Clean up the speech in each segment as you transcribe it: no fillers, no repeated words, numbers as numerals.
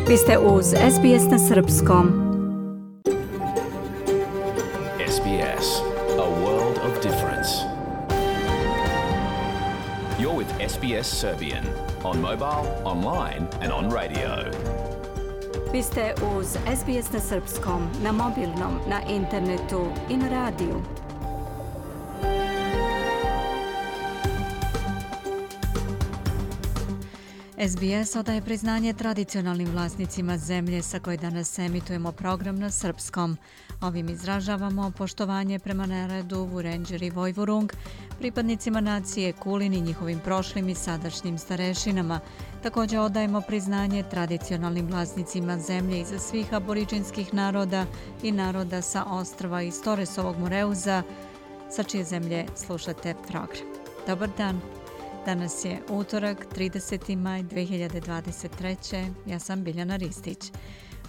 Vi ste uz SBS na Srpskom. SBS, a world of difference. You're with SBS Serbian on mobile, online and on radio. Vi ste uz SBS na Srpskom, na mobilnom, na internetu i na radiju. SBS odaje priznanje tradicionalnim vlasnicima zemlje sa koje danas emitujemo program na srpskom. Ovim izražavamo poštovanje prema narodu Vurenđer i Vojvurung, pripadnicima nacije Kulin i njihovim prošlim i sadašnjim starešinama. Također odajemo priznanje tradicionalnim vlasnicima zemlje iza svih aboriđinskih naroda i naroda sa ostrva iz Toresovog Moreuza, sa čije zemlje slušate program. Dobar dan. Danas je utorak, 30. maj 2023. Ja sam Biljana Ristić.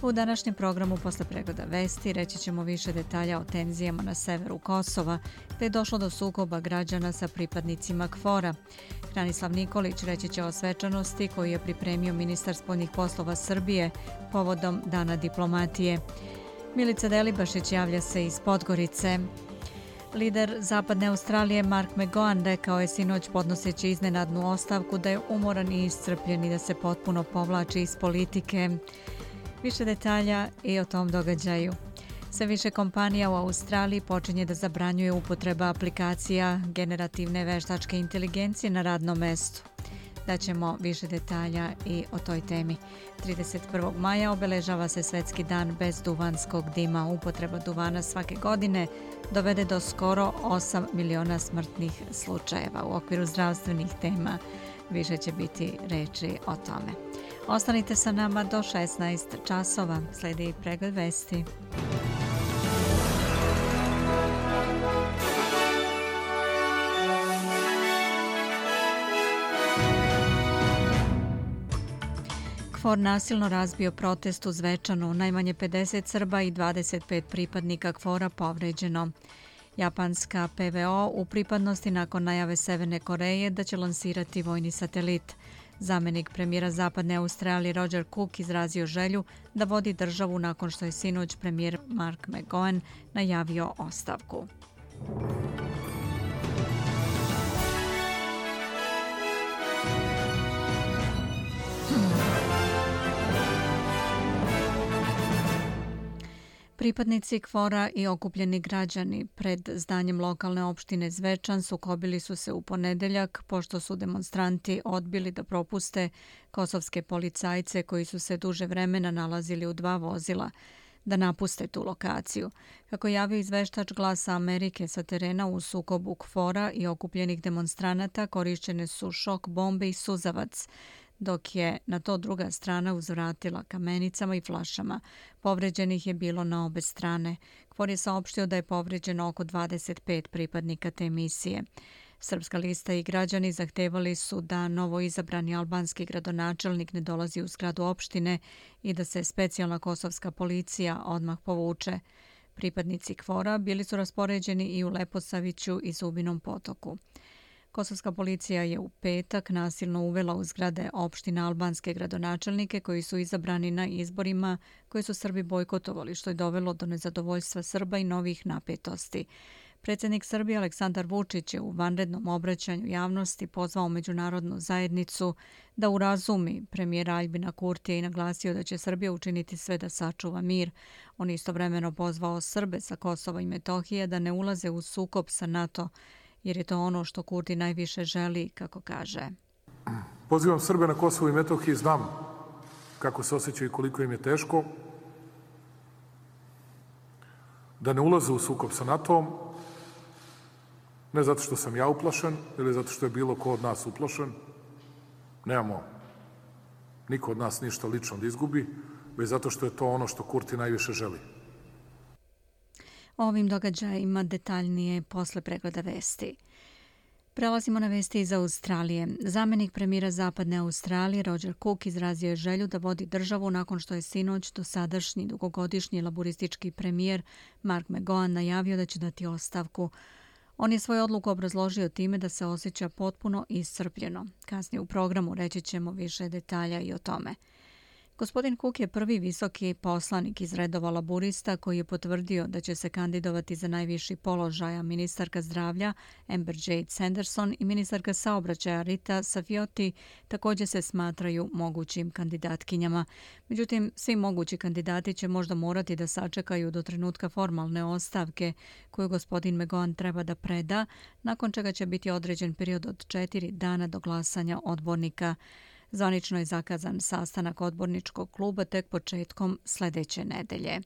U današnjem programu posle pregleda vesti reći ćemo više detalja o tenzijama na severu Kosova, gdje je došlo do sukoba građana sa pripadnicima KFOR-a. Branislav Nikolić reći će o svečanosti koju je pripremio ministar spoljnih poslova Srbije povodom Dana diplomatije. Milica Delibašić javlja se iz Podgorice. Lider Zapadne Australije Mark McGowan rekao je sinoć podnoseći iznenadnu ostavku da je umoran i iscrpljen i da se potpuno povlači iz politike. Više detalja i o tom događaju. Sve više kompanija u Australiji počinje da zabranjuje upotreba aplikacija generativne veštačke inteligencije na radnom mestu. Daćemo više detalja i o toj temi. 31. maja obeležava se Svetski dan bez duvanskog dima. Upotreba duvana svake godine dovede do skoro 8 miliona smrtnih slučajeva. U okviru zdravstvenih tema više će biti reči o tome. Ostanite sa nama do 16 časova. Slijedi pregled vesti. KFOR nasilno razbio protest u Zvečanu, najmanje 50 Srba i 25 pripadnika KFOR-a povređeno. Japanska PVO u pripadnosti nakon najave Severne Koreje da će lansirati vojni satelit. Zamenik premijera Zapadne Australije Roger Cook izrazio želju da vodi državu nakon što je sinoć premijer Mark McGowan najavio ostavku. Pripadnici KFOR-a i okupljeni građani pred zdanjem lokalne opštine Zvečan sukobili su se u ponedeljak pošto su demonstranti odbili da propuste kosovske policajce koji su se duže vremena nalazili u dva vozila da napuste tu lokaciju. Kako javio izveštač Glasa Amerike sa terena, u sukobu KFOR-a i okupljenih demonstranata korišćene su šok bombe i suzavac, dok je na to druga strana uzvratila kamenicama i flašama. Povređenih je bilo na obe strane. KFOR je saopštio da je povređeno oko 25 pripadnika te misije. Srpska lista i građani zahtevali su da novo izabrani albanski gradonačelnik ne dolazi u zgradu opštine i da se specijalna kosovska policija odmah povuče. Pripadnici KFOR-a bili su raspoređeni i u Leposaviću i Zubinom Potoku. Kosovska policija je u petak nasilno uvela u zgrade opštine albanske gradonačelnike koji su izabrani na izborima koje su Srbi bojkotovali, što je dovelo do nezadovoljstva Srba i novih napetosti. Predsjednik Srbije Aleksandar Vučić je u vanrednom obraćanju javnosti pozvao međunarodnu zajednicu da urazumi premijera Aljbina Kurtija i naglasio da će Srbija učiniti sve da sačuva mir. On istovremeno pozvao Srbe sa Kosova i Metohije da ne ulaze u sukob sa NATO, jer je to ono što Kurti najviše želi, kako kaže. Pozivam Srbe na Kosovu i Metohiji, znam kako se osjećaju i koliko im je teško, da ne ulaze u sukob sa NATO-om, ne zato što sam ja uplašen ili zato što je bilo ko od nas uplašen. Nemamo niko od nas ništa lično da izgubi, već zato što je to ono što Kurti najviše želi. O ovim događajima detaljnije posle pregleda vesti. Prelazimo na vesti iz Australije. Zamenik premijera Zapadne Australije Roger Cook izrazio je želju da vodi državu nakon što je sinoć dosadašnji dugogodišnji laburistički premijer Mark McGowan najavio da će dati ostavku. On je svoju odluku obrazložio time da se osjeća potpuno iscrpljeno. Kasnije u programu reći ćemo više detalja i o tome. Gospodin Cook je prvi visoki poslanik iz redova laburista koji je potvrdio da će se kandidovati za najviši položaj, a ministarka zdravlja Amber Jade Sanderson i ministarka saobraćaja Rita Safioti također se smatraju mogućim kandidatkinjama. Međutim, svi mogući kandidati će možda morati da sačekaju do trenutka formalne ostavke koju gospodin McGowan treba da preda, nakon čega će biti određen period od 4 dana do glasanja odbornika. Zvanično je zakazan sastanak odborničkog kluba tek početkom sljedeće nedelje.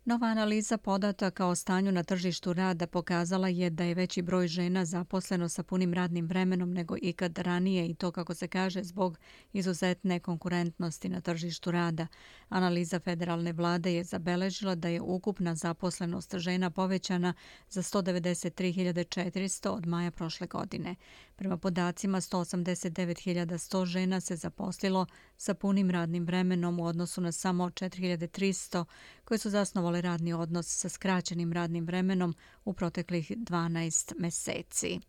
Nova analiza podataka o stanju na tržištu rada pokazala je da je veći broj žena zaposleno sa punim radnim vremenom nego ikad ranije i to, kako se kaže, zbog izuzetne konkurentnosti na tržištu rada. Analiza federalne vlade je zabeležila da je ukupna zaposlenost žena povećana za 193.400 od maja prošle godine. Prema podacima, 189.100 žena se zaposlilo sa punim radnim vremenom u odnosu na samo 4.300 koje su zasnovale radni odnos sa skraćenim radnim vremenom u proteklih 12 meseci.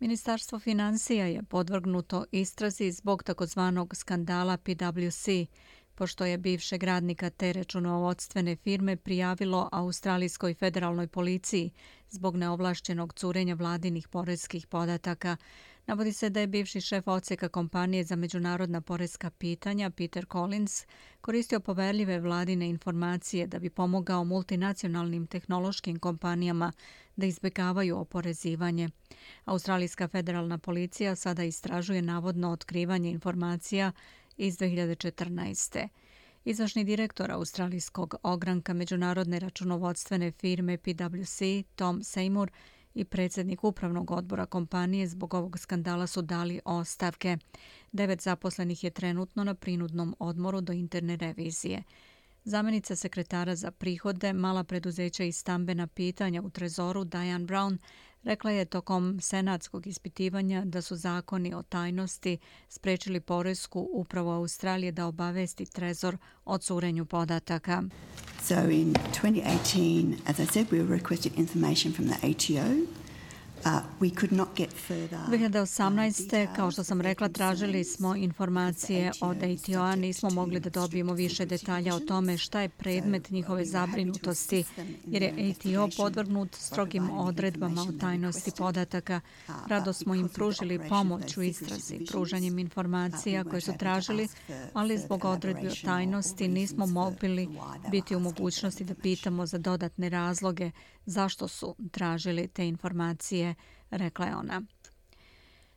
Ministarstvo finansija je podvrgnuto istrazi zbog takozvanog skandala PwC, pošto je bivšeg radnika te računovodstvene firme prijavilo Australijskoj federalnoj policiji zbog neovlašćenog curenja vladinih poreskih podataka. Navodi se da je bivši šef odseka kompanije za međunarodna poreska pitanja Peter Collins koristio poverljive vladine informacije da bi pomogao multinacionalnim tehnološkim kompanijama da izbjegavaju oporezivanje. Australijska federalna policija sada istražuje navodno otkrivanje informacija iz 2014. Izvršni direktor australijskog ogranka međunarodne računovodstvene firme PwC, Tom Seymour, i predsjednik upravnog odbora kompanije zbog ovog skandala su dali ostavke. 9 zaposlenih je trenutno na prinudnom odmoru do interne revizije. Zamjenica sekretara za prihode, mala preduzeća i stambena pitanja u Trezoru Diane Brown rekla je tokom senatskog ispitivanja da su zakoni o tajnosti sprečili poresku upravu Australije da obavesti Trezor o curenju podataka. So in 2018, as I said, we requested information from the ATO. We could not get further. 2018. kao što sam rekla, tražili smo informacije od ATO-a, nismo mogli da dobijemo više detalja o tome šta je predmet njihove zabrinutosti, jer je ATO podvrgnut strogim odredbama o tajnosti podataka. Rado smo im pružili pomoć u istrazi, pružanjem informacija koje su tražili, ali zbog odredbi o tajnosti nismo mogli biti u mogućnosti da pitamo za dodatne razloge zašto su tražili te informacije, rekla je ona.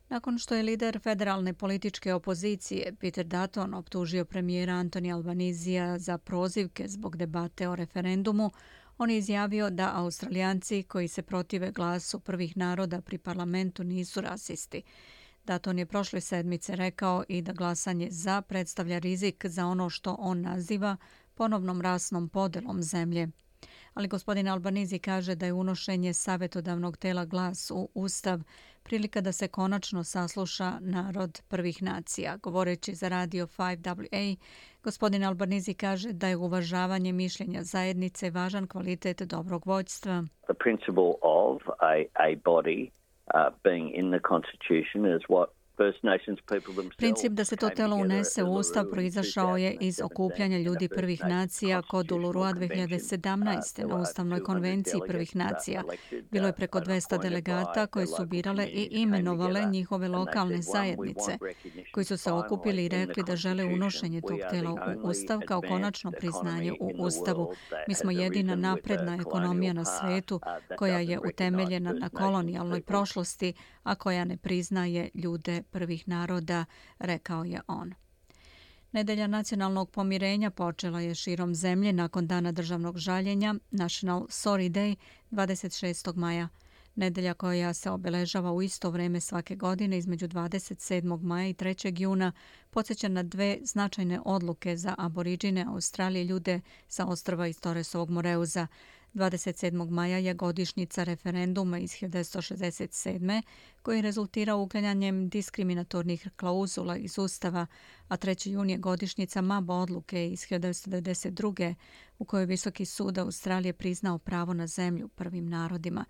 Nakon što je lider federalne političke opozicije Peter Dutton optužio premijera Antonija Albanizija za prozivke zbog debate o referendumu, on je izjavio da Australijanci koji se protive glasu prvih naroda pri parlamentu nisu rasisti. Dutton je prošle sedmice rekao i da glasanje za predstavlja rizik za ono što on naziva ponovnom rasnom podelom zemlje. Ali gospodin Albanizi kaže da je unošenje savjetodavnog tela Glas u Ustav prilika da se konačno sasluša narod prvih nacija. Govoreći za radio 5WA, gospodin Albanizi kaže da je uvažavanje mišljenja zajednice važan kvalitet dobrog vođstva. The principle of a body being in the Constitution is what Princip da se to telo unese u Ustav proizašao je iz okupljanja ljudi prvih nacija kod Ulurua 2017. na Ustavnoj konvenciji prvih nacija. Bilo je preko 200 delegata koji su birale i imenovale njihove lokalne zajednice, koji su se okupili i rekli da žele unošenje tog tela u Ustav kao konačno priznanje u Ustavu. Mi smo jedina napredna ekonomija na svetu koja je utemeljena na kolonijalnoj prošlosti, a koja ne priznaje ljude prvih naroda, rekao je on. Nedelja nacionalnog pomirenja počela je širom zemlje nakon dana državnog žaljenja, National Sorry Day, 26. maja. Nedelja koja se obeležava u isto vrijeme svake godine između 27. maja i 3. juna podsjeća na dve značajne odluke za aboriđine Australije, ljude sa ostrva iz Torresovog Moreuza. 27. maja je godišnjica referenduma iz 1967. koji je rezultirao uklanjanjem diskriminatornih klauzula iz Ustava, a 3. jun je godišnjica MAB odluke iz 1992. u kojoj Visoki sud Australije priznao pravo na zemlju prvim narodima.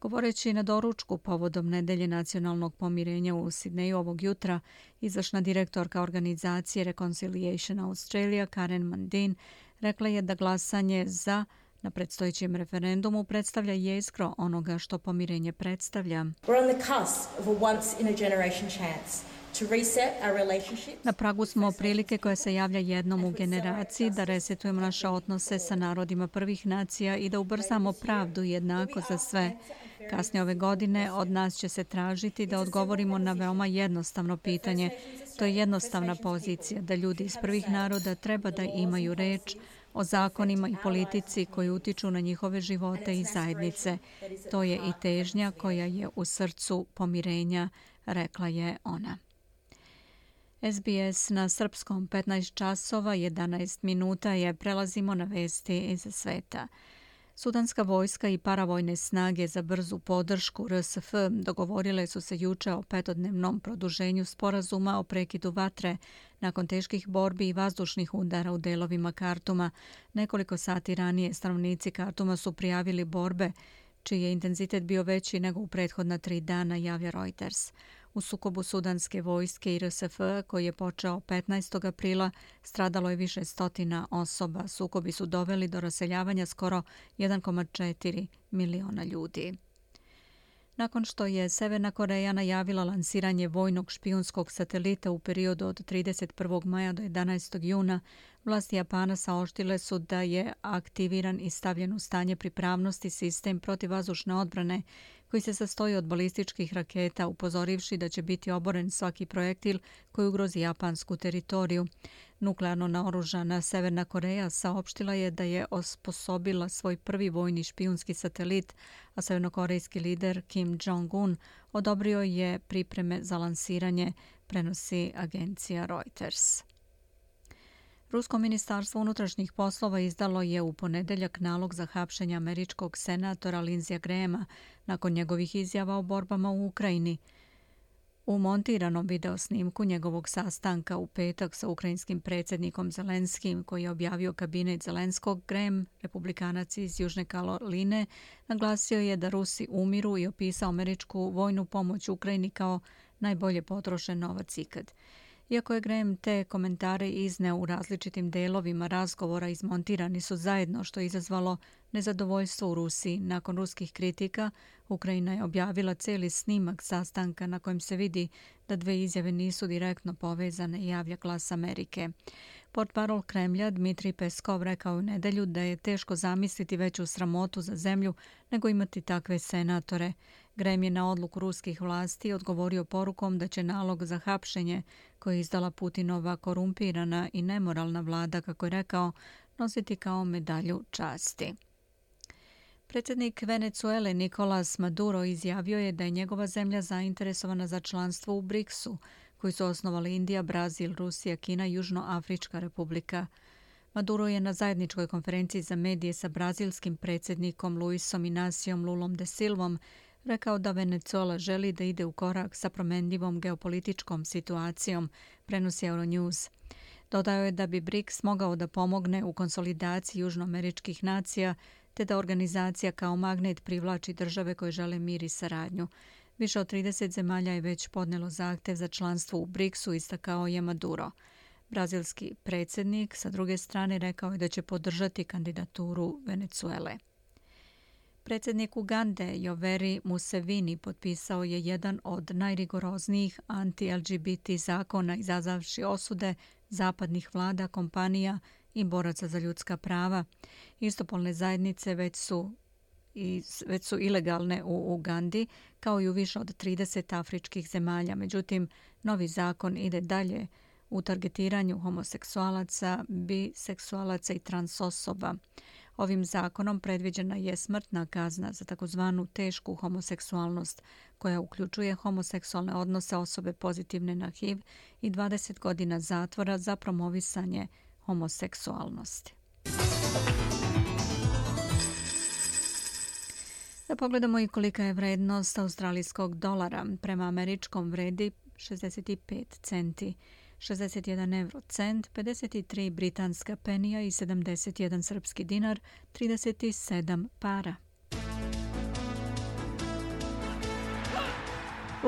Govoreći na doručku povodom nedelje nacionalnog pomirenja u Sidneju ovog jutra, izvršna direktorka organizacije Reconciliation Australia Karen Mundine rekla je da glasanje za na predstojećem referendumu predstavlja jezgro onoga što pomirenje predstavlja. Na pragu smo prilike koja se javlja jednom u generaciji da resetujemo naše odnose sa narodima prvih nacija i da ubrzamo pravdu jednako za sve. Kasnije ove godine od nas će se tražiti da odgovorimo na veoma jednostavno pitanje. To je jednostavna pozicija da ljudi iz prvih naroda treba da imaju reč o zakonima i politici koji utiču na njihove živote i zajednice. To je i težnja koja je u srcu pomirenja, rekla je ona. SBS na srpskom 15 časova 11 minuta je prelazimo na vesti iz sveta. Sudanska vojska i paravojne snage za brzu podršku RSF dogovorile su se juče o 5-dnevnom produženju sporazuma o prekidu vatre nakon teških borbi i vazdušnih udara u delovima Kartuma. Nekoliko sati ranije stanovnici Kartuma su prijavili borbe čiji je intenzitet bio veći nego u prethodna 3 dana, javlja Reuters. U sukobu sudanske vojske i RSF, koji je počeo 15. aprila, stradalo je više stotina osoba. Sukobi su doveli do raseljavanja skoro 1,4 miliona ljudi. Nakon što je Severna Koreja najavila lansiranje vojnog špijunskog satelita u periodu od 31. maja do 11. juna, vlasti Japana saopštile su da je aktiviran i stavljen u stanje pripravnosti sistem protivvazdušne odbrane koji se sastoji od balističkih raketa, upozorivši da će biti oboren svaki projektil koji ugrozi japansku teritoriju. Nuklearno naoružana Severna Koreja saopštila je da je osposobila svoj prvi vojni špijunski satelit, a severnokorejski lider Kim Jong-un odobrio je pripreme za lansiranje, prenosi agencija Reuters. Rusko ministarstvo unutrašnjih poslova izdalo je u ponedeljak nalog za hapšenje američkog senatora Lindseyja Grahama nakon njegovih izjava o borbama u Ukrajini. U montiranom videosnimku njegovog sastanka u petak sa ukrajinskim predsjednikom Zelenskim, koji je objavio kabinet Zelenskog, Graham, republikanac iz Južne Karoline, naglasio je da Rusi umiru i opisao američku vojnu pomoć Ukrajini kao najbolje potrošen novac ikad. Iako je Graham te komentare izneo u različitim delovima razgovora, izmontirani su zajedno, što je izazvalo nezadovoljstvo u Rusiji. Nakon ruskih kritika, Ukrajina je objavila cijeli snimak sastanka na kojem se vidi da dve izjave nisu direktno povezane, javlja Glas Amerike. Portparol Kremlja Dmitrij Peskov rekao u nedelju da je teško zamisliti veću sramotu za zemlju nego imati takve senatore. Graham je na odluku ruskih vlasti odgovorio porukom da će nalog za hapšenje koji je izdala Putinova korumpirana i nemoralna vlada, kako je rekao, nositi kao medalju časti. Predsjednik Venezuele Nicolás Maduro izjavio je da je njegova zemlja zainteresovana za članstvo u BRICS-u, koji su osnovali Indija, Brazil, Rusija, Kina i Južnoafrička republika. Maduro je na zajedničkoj konferenciji za medije sa brazilskim predsjednikom Luisom Inacijom Lulom de Silvom rekao da Venezuela želi da ide u korak sa promjenljivom geopolitičkom situacijom, prenosi Euronews. Dodao je da bi BRICS mogao da pomogne u konsolidaciji južnoameričkih nacija, te da organizacija kao magnet privlači države koje žele mir i saradnju. Više od 30 zemalja je već podnelo zahtev za članstvo u BRICS-u, istakao je Maduro. Brazilski predsjednik, sa druge strane, rekao je da će podržati kandidaturu Venezuele. Predsjednik Ugande Yoweri Museveni potpisao je jedan od najrigoroznijih anti-LGBT zakona, izazavši osude zapadnih vlada, kompanija i boraca za ljudska prava. Istopolne zajednice već su ilegalne u Ugandi, kao i u više od 30 afričkih zemalja. Međutim, novi zakon ide dalje u targetiranju homoseksualaca, biseksualaca i transosoba. Ovim zakonom predviđena je smrtna kazna za takozvanu tešku homoseksualnost, koja uključuje homoseksualne odnose osobe pozitivne na HIV i 20 godina zatvora za promovisanje homoseksualnosti. Da pogledamo i kolika je vrednost australijskog dolara. Prema američkom vredi 65 centi. 61 eurocent, 53 britanska penija i 71 srpski dinar, 37 para.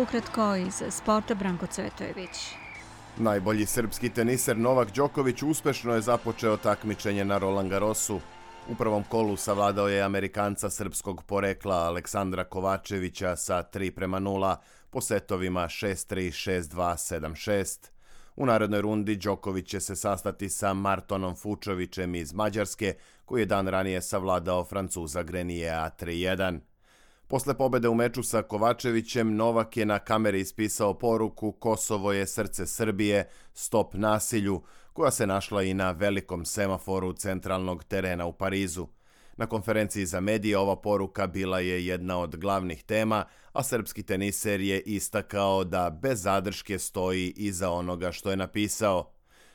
Ukratko iz sporta Branko Cvetojević. Najbolji srpski teniser Novak Đoković uspešno je započeo takmičenje na Roland Garrosu. U prvom kolu savladao je Amerikanca srpskog porekla Aleksandra Kovačevića sa 3:0 po setovima 6-3, 6-2, 7-6. U narednoj rundi Đoković će se sastati sa Martonom Fučovićem iz Mađarske, koji je dan ranije savladao Francuza Greniera 3:1. Posle pobede u meču sa Kovačevićem, Novak je na kameri ispisao poruku "Kosovo je srce Srbije, stop nasilju", koja se našla i na velikom semaforu centralnog terena u Parizu. Na konferenciji za medije ova poruka bila je jedna od glavnih tema, a srpski teniser je istakao da bez zadrške stoji iza onoga što je napisao.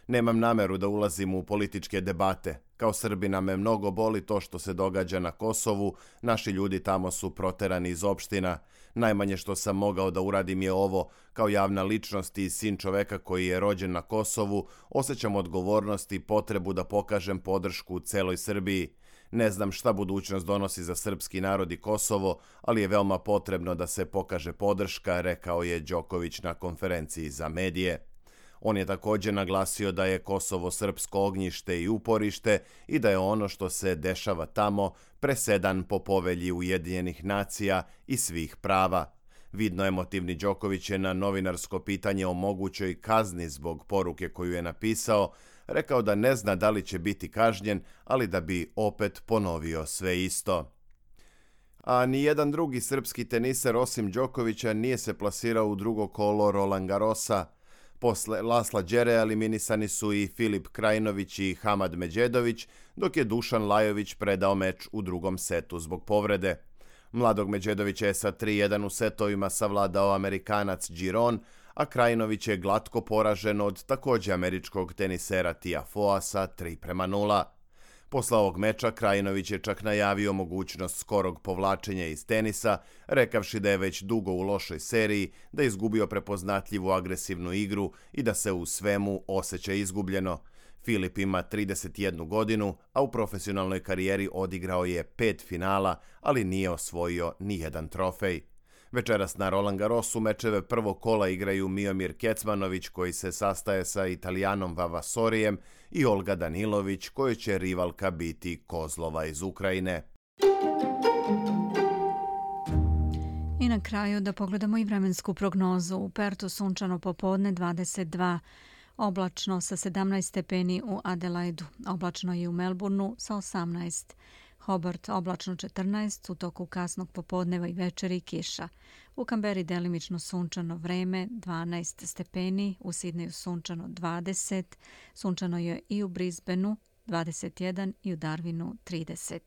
"Nemam nameru da ulazim u političke debate. Kao Srbina me mnogo boli to što se događa na Kosovu, naši ljudi tamo su proterani iz opština. Najmanje što sam mogao da uradim je ovo, kao javna ličnost i sin čoveka koji je rođen na Kosovu, osjećam odgovornost i potrebu da pokažem podršku celoj Srbiji. Ne znam šta budućnost donosi za srpski narod i Kosovo, ali je veoma potrebno da se pokaže podrška", rekao je Đoković na konferenciji za medije. On je također naglasio da je Kosovo srpsko ognjište i uporište i da je ono što se dešava tamo presedan po povelji Ujedinjenih nacija i svih prava. Vidno emotivni Đoković je na novinarsko pitanje o mogućoj kazni zbog poruke koju je napisao rekao da ne zna da li će biti kažnjen, ali da bi opet ponovio sve isto. A nijedan drugi srpski teniser osim Đokovića nije se plasirao u drugo kolo Roland Garrosa. Posle Lasla Đereja eliminisani su i Filip Krajinović i Hamad Međedović, dok je Dušan Lajović predao meč u drugom setu zbog povrede. Mladog Međedovića je sa 3:1 u setovima savladao Amerikanac Giron, a Krajinović je glatko poražen od također američkog tenisera Tiafoea sa 3:0. Posle ovog meča Krajinović je čak najavio mogućnost skorog povlačenja iz tenisa, rekavši da je već dugo u lošoj seriji, da je izgubio prepoznatljivu agresivnu igru i da se u svemu osjeća izgubljeno. Filip ima 31 godinu, a u profesionalnoj karijeri odigrao je 5 finala, ali nije osvojio nijedan trofej. Večeras na Roland Garrosu mečeve prvog kola igraju Miomir Kecmanović, koji se sastaje sa Italijanom Vavasorijem, i Olga Danilović, kojoj će rivalka biti Kozlova iz Ukrajine. I na kraju da pogledamo i vremensku prognozu. U Pertu sunčano popodne 22, oblačno sa 17 stepeni u Adelaidu, oblačno i u Melbourneu sa 18. Hobart oblačno 14, u toku kasnog popodneva i večeri kiša. U Kamberi delimično sunčano vreme 12 stepeni, u Sidneju sunčano 20, sunčano je i u Brisbaneu 21 i u Darwinu 30.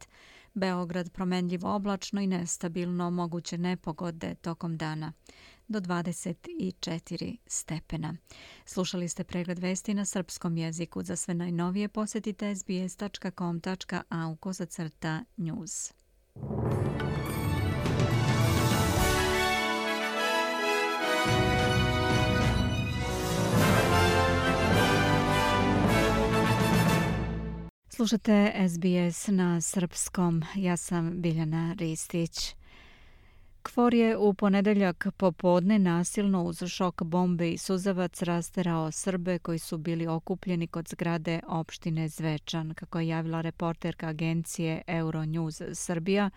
Beograd promenljivo oblačno i nestabilno, moguće nepogode tokom dana do 24 stepena. Slušali ste pregled vesti na srpskom jeziku. Za sve najnovije posjetite sbs.com.au/news. Slušate SBS na srpskom. Ja sam Biljana Ristić. KFOR je u ponedeljak popodne nasilno uz šok bombe i suzavac rasterao Srbe koji su bili okupljeni kod zgrade opštine Zvečan, kako je javila reporterka agencije Euronews Srbija.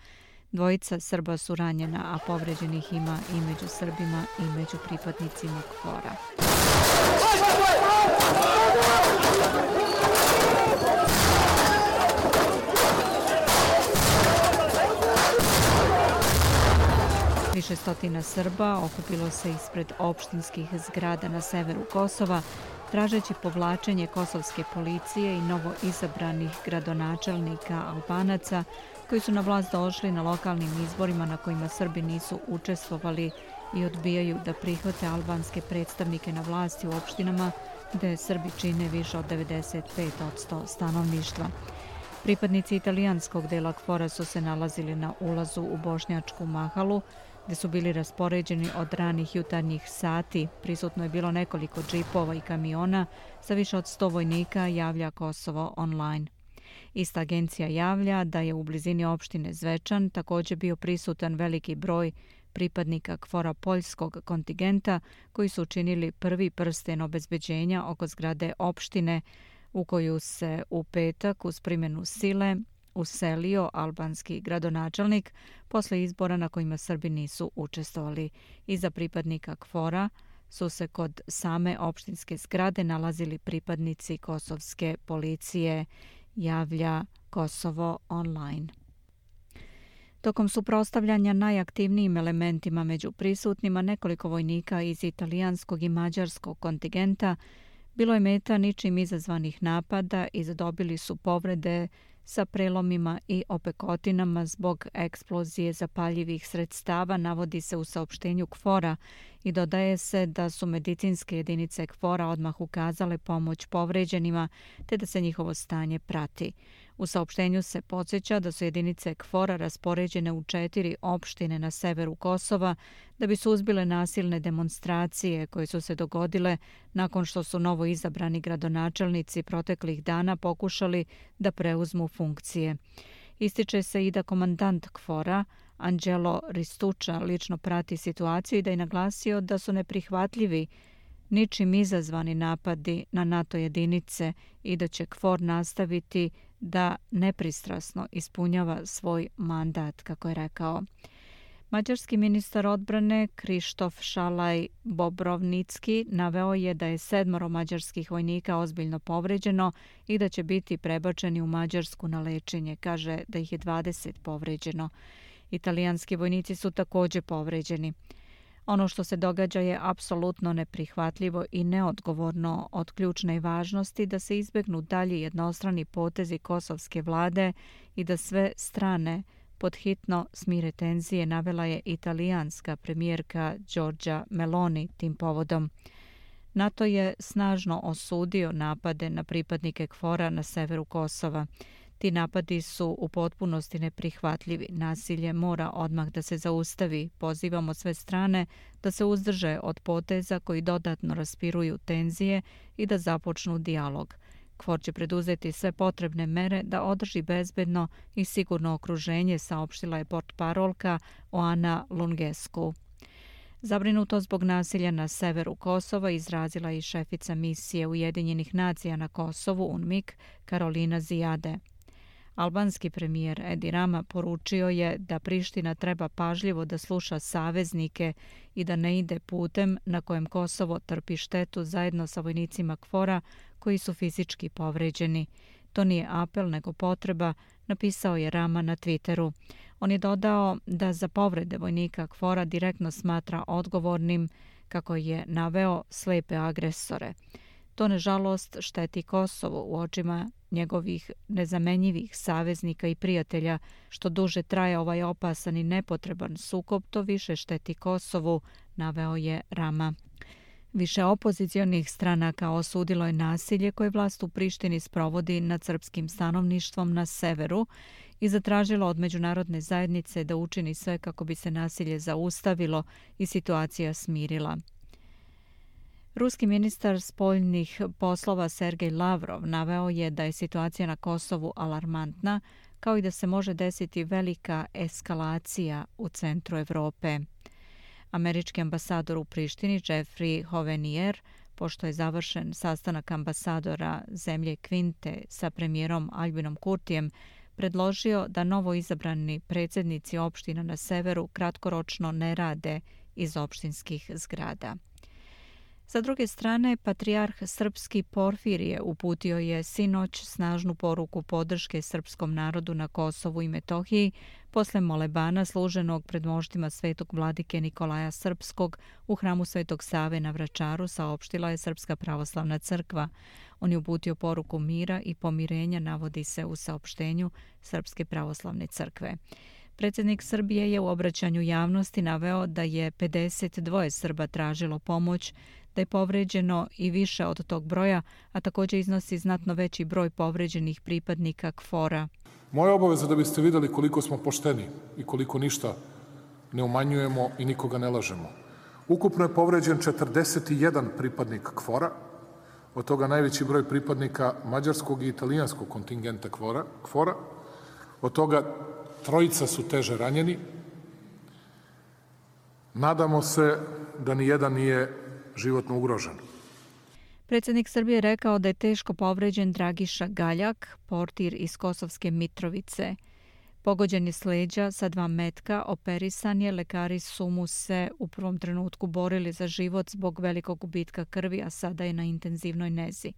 Dvojica Srba su ranjena, a povređenih ima i među Srbima i među pripadnicima KFOR-a. Više stotina Srba okupilo se ispred opštinskih zgrada na severu Kosova, tražeći povlačenje kosovske policije i novo izabranih gradonačelnika Albanaca koji su na vlast došli na lokalnim izborima na kojima Srbi nisu učestvovali i odbijaju da prihvate albanske predstavnike na vlasti u opštinama gde Srbi čine više od 95% stanovništva. Pripadnici italijanskog dela KFOR-a su se nalazili na ulazu u Bošnjačku Mahalu, gde su bili raspoređeni od ranih jutarnjih sati. Prisutno je bilo nekoliko džipova i kamiona sa više od 100 vojnika, javlja Kosovo online. Ista agencija javlja da je u blizini opštine Zvečan također bio prisutan veliki broj pripadnika KFOR-a poljskog kontingenta koji su učinili prvi prsten obezbeđenja oko zgrade opštine u koju se u petak uz primjenu sile uselio albanski gradonačelnik posle izbora na kojima Srbi nisu učestvovali. Iza pripadnika KFOR-a su se kod same opštinske zgrade nalazili pripadnici kosovske policije, javlja Kosovo online. Tokom suprotstavljanja najaktivnijim elementima među prisutnima nekoliko vojnika iz italijanskog i mađarskog kontingenta bilo je meta ničim izazvanih napada i zadobili su povrede sa prelomima i opekotinama zbog eksplozije zapaljivih sredstava, navodi se u saopštenju KFOR-a i dodaje se da su medicinske jedinice KFOR-a odmah ukazale pomoć povređenima te da se njihovo stanje prati. U saopštenju se podsjeća da su jedinice KFOR-a raspoređene u 4 opštine na severu Kosova da bi suzbile nasilne demonstracije koje su se dogodile nakon što su novo izabrani gradonačelnici proteklih dana pokušali da preuzmu funkcije. Ističe se i da komandant KFOR-a Anđelo Ristuča lično prati situaciju i da je naglasio da su neprihvatljivi ničim izazvani napadi na NATO jedinice i da će KFOR nastaviti da nepristrasno ispunjava svoj mandat, kako je rekao. Mađarski ministar odbrane Krištof Šalaj Bobrovnicki naveo je da je 7 mađarskih vojnika ozbiljno povređeno i da će biti prebačeni u Mađarsku na lečenje. Kaže da ih je 20 povređeno. Italijanski vojnici su također povređeni. Ono što se događa je apsolutno neprihvatljivo i neodgovorno, od ključne važnosti da se izbegnu dalji jednostrani potezi kosovske vlade i da sve strane podhitno smire tenzije, navela je italijanska premijerka Giorgia Meloni tim povodom. NATO je snažno osudio napade na pripadnike KFOR-a na severu Kosova. Ti napadi su u potpunosti neprihvatljivi. Nasilje mora odmah da se zaustavi. Pozivamo sve strane da se uzdrže od poteza koji dodatno raspiruju tenzije i da započnu dijalog. KFOR će preduzeti sve potrebne mere da održi bezbedno i sigurno okruženje, saopštila je portparolka Oana Lungescu. Zabrinuto zbog nasilja na severu Kosova izrazila i šefica misije Ujedinjenih nacija na Kosovu UNMIK Karolina Zijade. Albanski premijer Edi Rama poručio je da Priština treba pažljivo da sluša saveznike i da ne ide putem na kojem Kosovo trpi štetu zajedno sa vojnicima KFOR-a koji su fizički povređeni. To nije apel nego potreba, napisao je Rama na Twitteru. On je dodao da za povrede vojnika KFOR-a direktno smatra odgovornim, kako je naveo, slepe agresore. To nažalost šteti Kosovo u očima njegovih nezamenjivih saveznika i prijatelja. Što duže traje ovaj opasan i nepotreban sukob, to više šteti Kosovu, naveo je Rama. Više opozicionih stranaka osudilo je nasilje koje vlast u Prištini sprovodi nad srpskim stanovništvom na severu i zatražilo od međunarodne zajednice da učini sve kako bi se nasilje zaustavilo i situacija smirila. Ruski ministar spoljnih poslova Sergej Lavrov naveo je da je situacija na Kosovu alarmantna, kao i da se može desiti velika eskalacija u centru Evrope. Američki ambasador u Prištini Jeffrey Hovenier, pošto je završen sastanak ambasadora zemlje Kvinte sa premijerom Albinom Kurtijem, predložio da novo izabrani predsjednici opština na severu kratkoročno ne rade iz opštinskih zgrada. Sa druge strane, patrijarh srpski Porfirije uputio je sinoć snažnu poruku podrške srpskom narodu na Kosovu i Metohiji posle molebana služenog pred moštima svetog vladike Nikolaja Srpskog u hramu Svetog Save na Vračaru, saopštila je Srpska pravoslavna crkva. On je uputio poruku mira i pomirenja, navodi se u saopštenju Srpske pravoslavne crkve. Predsjednik Srbije je u obraćanju javnosti naveo da je 52 Srba tražilo pomoć, da je povređeno i više od tog broja, a također iznosi znatno veći broj povređenih pripadnika KFOR-a. Moja obaveza da biste vidjeli koliko smo pošteni i koliko ništa ne umanjujemo i nikoga ne lažemo. Ukupno je povređen 41 pripadnik KFOR-a, od toga najveći broj pripadnika mađarskog i italijanskog kontingenta KFOR-a, od toga 3 su teže ranjeni. Nadamo se da ni jedan nije životno ugrožen. Predsjednik Srbije rekao da je teško povređen Dragiša Galjak, portir iz Kosovske Mitrovice. Pogođen je s leđa sa 2 metka, operisan je, lekari su mu se u prvom trenutku borili za život zbog velikog gubitka krvi, a sada je na intenzivnoj nezi.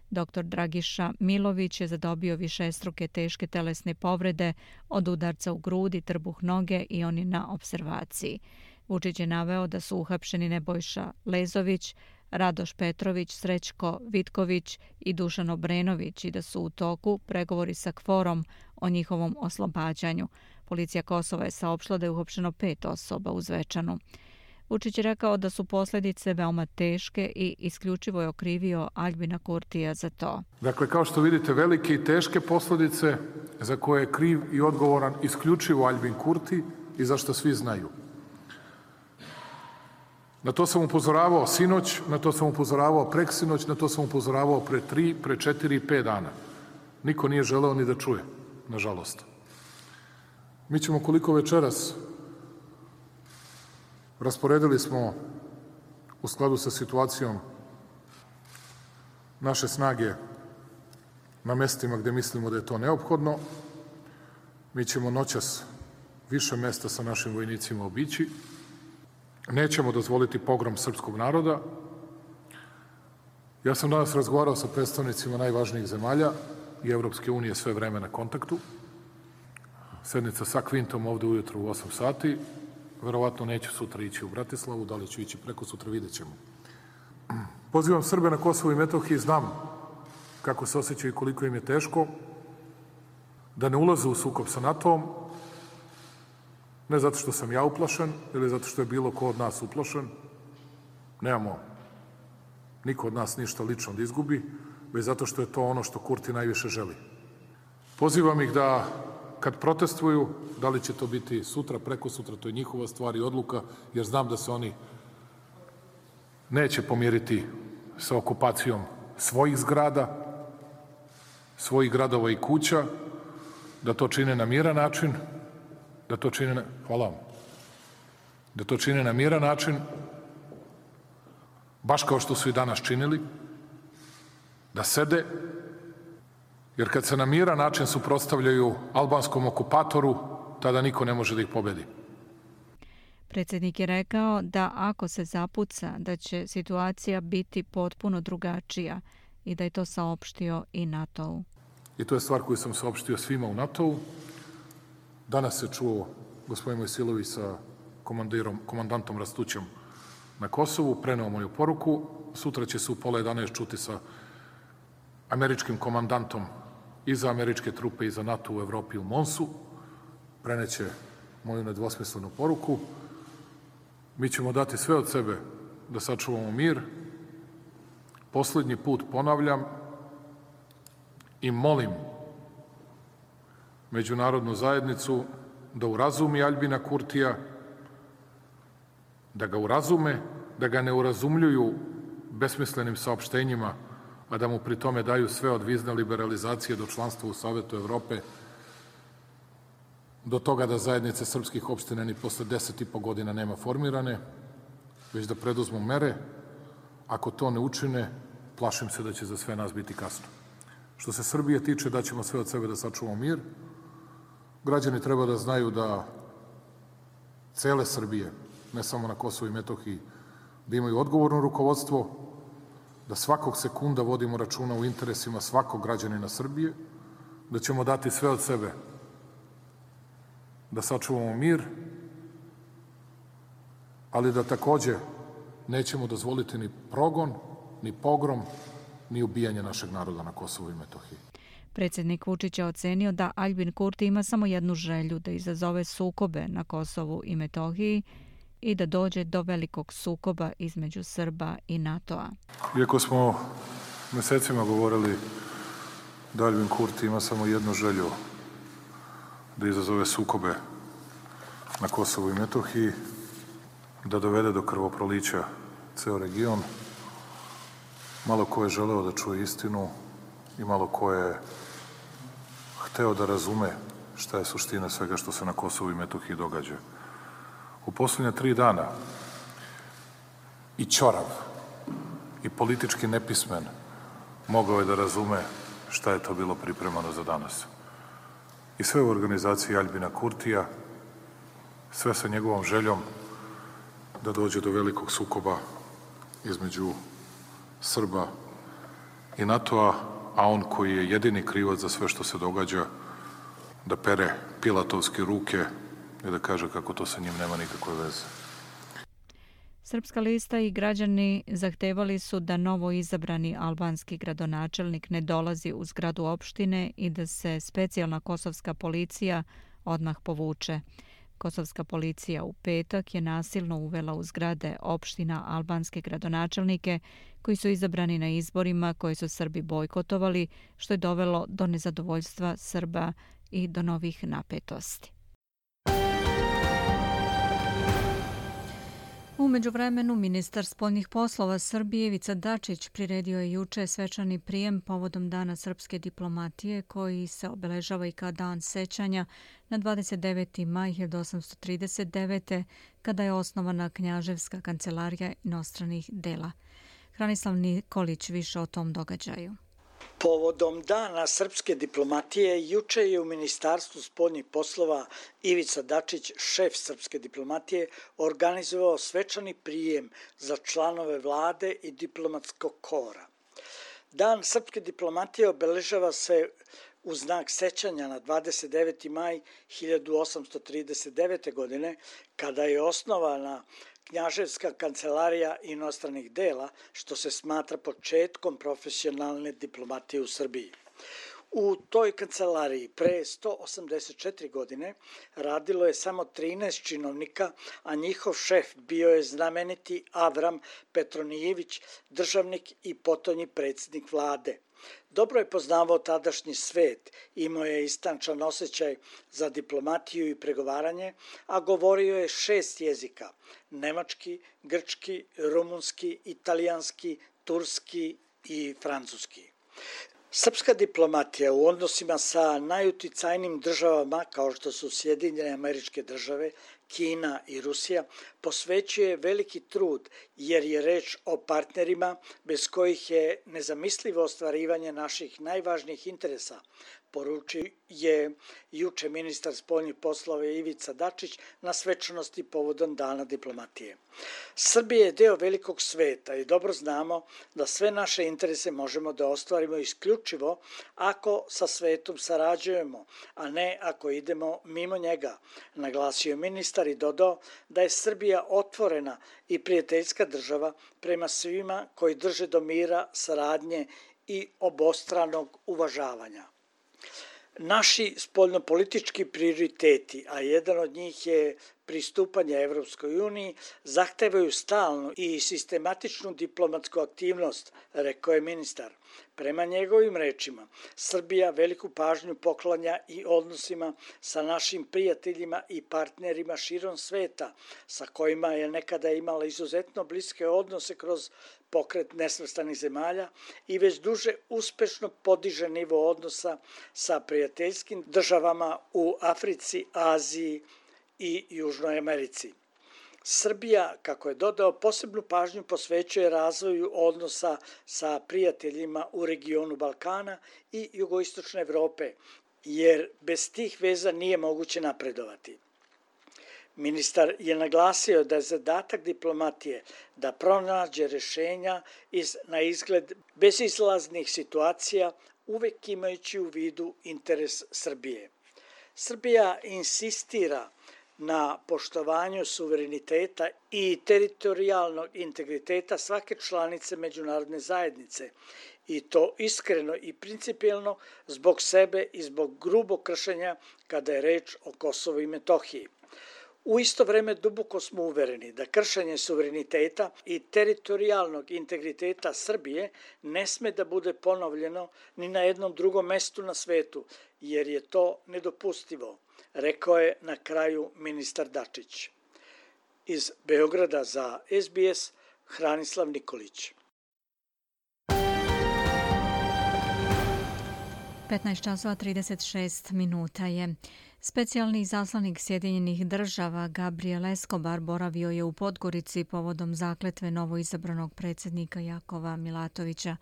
Dr. Dragiša Milović je zadobio višestruke teške telesne povrede od udarca u grudi, trbuh noge i on je na observaciji. Vučić je naveo da su uhapšeni Nebojša Lezović, Radoš Petrović, Srećko Vitković i Dušan Obrenović i da su u toku pregovori sa KFOR-om o njihovom oslobađanju. Policija Kosova je saopštila da je uhapšeno 5 osoba u Zvečanu. Vučić je rekao da su posljedice veoma teške i isključivo je okrivio Aljbina Kurtija za to. Dakle, kao što vidite, velike i teške posljedice za koje je kriv i odgovoran isključivo Aljbin Kurti i za što svi znaju. Na to sam upozoravao sinoć, na to sam upozoravao preksinoć, na to sam upozoravao pre 3, pre 4 i 5 dana. Niko nije želeo ni da čuje, nažalost. Mi ćemo koliko večeras rasporedili smo u skladu sa situacijom naše snage na mestima gde mislimo da je to neophodno. Mi ćemo noćas više mesta sa našim vojnicima obići. Nećemo dozvoliti pogrom srpskog naroda. Ja sam danas razgovarao sa predstavnicima najvažnijih zemalja i Evropske unije sve vreme na kontaktu. Sednica sa Kvintom ovde ujutro u 8 sati. Verovatno neću sutra ići u Bratislavu, da li ću ići preko sutra, vidjet ćemo. Pozivam Srbe na Kosovo i Metohiji, znam kako se osjećaju i koliko im je teško, da ne ulaze u sukob sa NATO-om, ne zato što sam ja uplašen ili zato što je bilo ko od nas uplašen. Nemamo niko od nas ništa lično da izgubi, već zato što je to ono što Kurti najviše želi. Pozivam ih da kad protestuju, da li će to biti sutra, preko sutra, to je njihova stvar i odluka, jer znam da se oni neće pomiriti sa okupacijom svojih zgrada, svojih gradova i kuća, da to čine na miran način, da to čine na miran način, baš kao što su i danas činili, da sede, jer kad se na miran način suprotstavljaju albanskom okupatoru, tada niko ne može da ih pobedi. Predsjednik je rekao da ako se zapuca, da će situacija biti potpuno drugačija i da je to saopštio i NATO-u. I to je stvar koju sam saopštio svima u NATO-u. Danas se čuo gospodin Mojsilović sa komandantom Rastućem na Kosovu, preneo moju poruku. Sutra će se u 10:30 čuti sa američkim komandantom i za američke trupe i za NATO u Evropi u Monsu. Preneće moju nedvosmislenu poruku. Mi ćemo dati sve od sebe da sačuvamo mir. Poslednji put ponavljam i molim međunarodnu zajednicu da urazumi Aljbina Kurtija, da ga urazume, da ga ne urazumljuju besmislenim saopštenjima, a da mu pri tome daju sve od vizne liberalizacije do članstva u Savetu Evrope, do toga da zajednice srpskih opština ni posle 10,5 godina nema formirane, već da preduzmu mere. Ako to ne učine, plašim se da će za sve nas biti kasno. Što se Srbije tiče, daćemo sve od sebe da sačuvamo mir. Građani treba da znaju da cele Srbije, ne samo na Kosovu i Metohiji, da imaju odgovorno rukovodstvo, da svakog sekunda vodimo računa u interesima svakog građanina Srbije, da ćemo dati sve od sebe da sačuvamo mir, ali da takođe nećemo dozvoliti ni progon, ni pogrom, ni ubijanje našeg naroda na Kosovu i Metohiji. Predsjednik Vučić je ocenio da Aljbin Kurti ima samo jednu želju, da izazove sukobe na Kosovu i Metohiji i da dođe do velikog sukoba između Srba i NATO-a. Iako smo mesecima govorili da Aljbin Kurti ima samo jednu želju, da izazove sukobe na Kosovu i Metohiji, da dovede do krvoprolića ceo region, malo ko je želeo da čuje istinu i malo ko je hteo da razume šta je suština svega što se na Kosovu i Metohiji događa. U posljednja 3 dana i ćorav i politički nepismen mogao je da razume šta je to bilo pripremano za danas. I sve u organizaciji Aljbina Kurtija, sve sa njegovom željom da dođe do velikog sukoba između Srba i NATO-a, a on koji je jedini krivac za sve što se događa, da pere pilatovske ruke i da kaže kako to sa njim nema nikakve veze. Srpska lista i građani zahtevali su da novo izabrani albanski gradonačelnik ne dolazi u zgradu opštine i da se specijalna kosovska policija odmah povuče. Kosovska policija u petak je nasilno uvela u zgrade opština albanske gradonačelnike koji su izabrani na izborima koje su Srbi bojkotovali, što je dovelo do nezadovoljstva Srba i do novih napetosti. U međuvremenu, ministar spoljnih poslova Srbije Ivica Dačić priredio je juče svečani prijem povodom Dana srpske diplomatije koji se obeležava i kao dan sećanja na 29. maj 1839. kada je osnovana Knjaževska kancelarija inostranih dela. Hranislav Nikolić više o tom događaju. Povodom Dana srpske diplomatije, juče je u Ministarstvu spoljnih poslova Ivica Dačić, šef srpske diplomatije, organizovao svečani prijem za članove vlade i diplomatskog kora. Dan srpske diplomatije obeležava se u znak sećanja na 29. maj 1839. godine, kada je osnovana Knjaževska kancelarija inostranih dela, što se smatra početkom profesionalne diplomatije u Srbiji. U toj kancelariji pre 184 godine radilo je samo 13 činovnika, a njihov šef bio je znameniti Avram Petronijević, državnik i potonji predsjednik vlade. Dobro je poznavao tadašnji svet, imao je istančan osjećaj za diplomatiju i pregovaranje, a govorio je 6 jezika: nemački, grčki, rumunski, italijanski, turski i francuski. Srpska diplomatija u odnosima sa najuticajnijim državama kao što su Sjedinjene Američke Države, Kina i Rusija posvećuje veliki trud jer je reč o partnerima bez kojih je nezamislivo ostvarivanje naših najvažnijih interesa, poručio je juče ministar spoljnih poslova Ivica Dačić na svečanosti povodom Dana diplomatije. Srbija je deo velikog sveta i dobro znamo da sve naše interese možemo da ostvarimo isključivo ako sa svetom sarađujemo, a ne ako idemo mimo njega, naglasio ministar i dodao da je Srbija otvorena i prijateljska država prema svima koji drže do mira, saradnje i obostranog uvažavanja. Naši spoljnopolitički prioriteti, a jedan od njih je pristupanje Evropskoj uniji, zahtevaju stalnu i sistematičnu diplomatsku aktivnost, rekao je ministar. Prema njegovim rečima, Srbija veliku pažnju poklanja i odnosima sa našim prijateljima i partnerima širom sveta, sa kojima je nekada imala izuzetno bliske odnose kroz pokret nesvrstanih zemalja i već duže uspešno podiže nivo odnosa sa prijateljskim državama u Africi, Aziji i Južnoj Americi. Srbija, kako je dodao, posebnu pažnju posvećuje razvoju odnosa sa prijateljima u regionu Balkana i jugoistočne Evrope, jer bez tih veza nije moguće napredovati. Ministar je naglasio da je zadatak diplomatije da pronađe rešenja iz na izgled bezizlaznih situacija, uvek imajući u vidu interes Srbije. Srbija insistira na poštovanju suvereniteta i teritorijalnog integriteta svake članice međunarodne zajednice, i to iskreno i principijelno zbog sebe i zbog grubog kršenja kada je reč o Kosovu i Metohiji. U isto vreme duboko smo uvereni da kršenje suvereniteta i teritorijalnog integriteta Srbije ne sme da bude ponovljeno ni na jednom drugom mestu na svetu, jer je to nedopustivo, rekao je na kraju ministar Dačić. Iz Beograda za SBS, Hranislav Nikolić. 15:36 minuta je. Specijalni izaslanik Sjedinjenih država Gabriel Escobar boravio je u Podgorici povodom zakletve novoizabranog predsjednika Jakova Milatovića.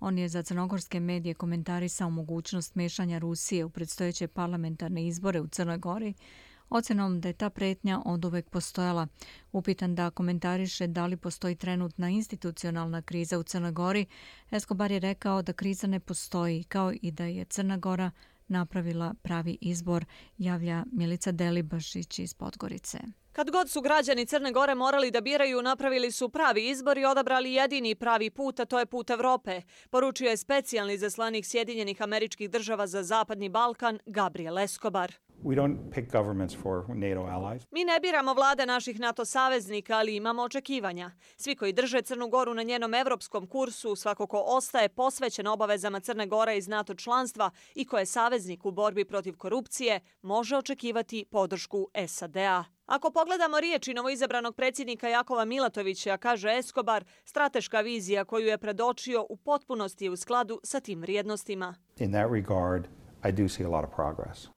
On je za crnogorske medije komentarisao mogućnost mešanja Rusije u predstojeće parlamentarne izbore u Crnoj Gori, ocenom da je ta pretnja oduvek postojala. Upitan da komentariše da li postoji trenutna institucionalna kriza u Crnoj Gori, Escobar je rekao da kriza ne postoji, kao i da je Crna Gora napravila pravi izbor, javlja Milica Delibašić iz Podgorice. Kad god su građani Crne Gore morali da biraju, napravili su pravi izbor i odabrali jedini pravi put, a to je put Evrope, poručio je specijalni izaslanik Sjedinjenih Američkih Država za Zapadni Balkan Gabriel Escobar. Mi ne biramo vlade naših NATO saveznika, ali imamo očekivanja. Svi koji drže Crnu Goru na njenom evropskom kursu, svako ko ostaje posvećen obavezama Crne Gore iz NATO članstva i ko je saveznik u borbi protiv korupcije, može očekivati podršku SAD-a. Ako pogledamo riječi novoizabranog predsjednika Jakova Milatovića, kaže Escobar, strateška vizija koju je predočio u potpunosti je u skladu sa tim vrijednostima.